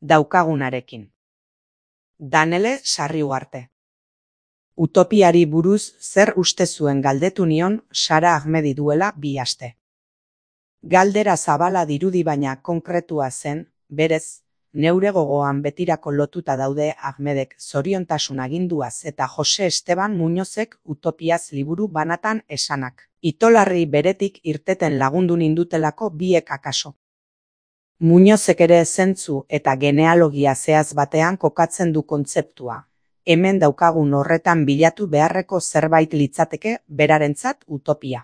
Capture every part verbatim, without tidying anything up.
daukagunarekin. Danele Sarriugarte. Utopiari buruz zer uste zuen galdetu nion Sara Ahmedi duela bi aste. Galdera zabala dirudi baina konkretua zen, berez, neure gogoan betirako lotuta daude Ahmedek zoriontasun aginduaz eta Jose Esteban Muñozek Utopiaz liburu banatan esanak. Itolarri beretik irteten lagundu nindutelako biek akaso. Muñozek ere zentzu eta genealogia zehaz batean kokatzen du kontzeptua. Hemen daukagun horretan bilatu beharreko zerbait litzateke berarentzat utopia.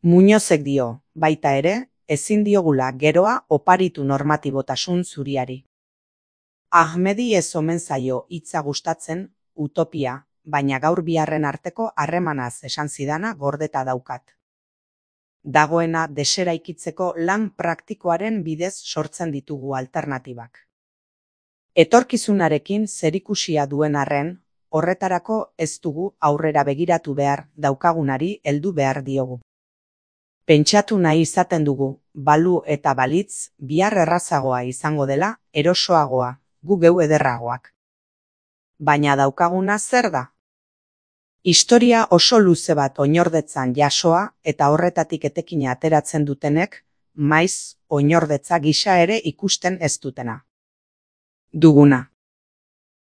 Muñozek dio, baita ere, ezin diogula geroa oparitu normatibotasun zuriari. Ahmedi ez omen zaio hitza gustatzen, utopia, baina gaur biharren arteko harremanaz esan zidana gordeta daukat. Dagoena deseraikitzeko lan praktikoaren bidez sortzen ditugu alternatibak. Etorkizunarekin zerikusia duen arren, horretarako ez dugu aurrera begiratu behar daukagunari heldu behar diogu. Pentsatu nahi izaten dugu, balu eta balitz, bihar errazagoa izango dela, erosoagoa, gu geu ederragoak. Baina daukaguna zer da? Historia oso luze bat oinordetzan jasoa eta horretatik etekina ateratzen dutenek, maiz oinordetza gisa ere ikusten ez dutena. Duguna.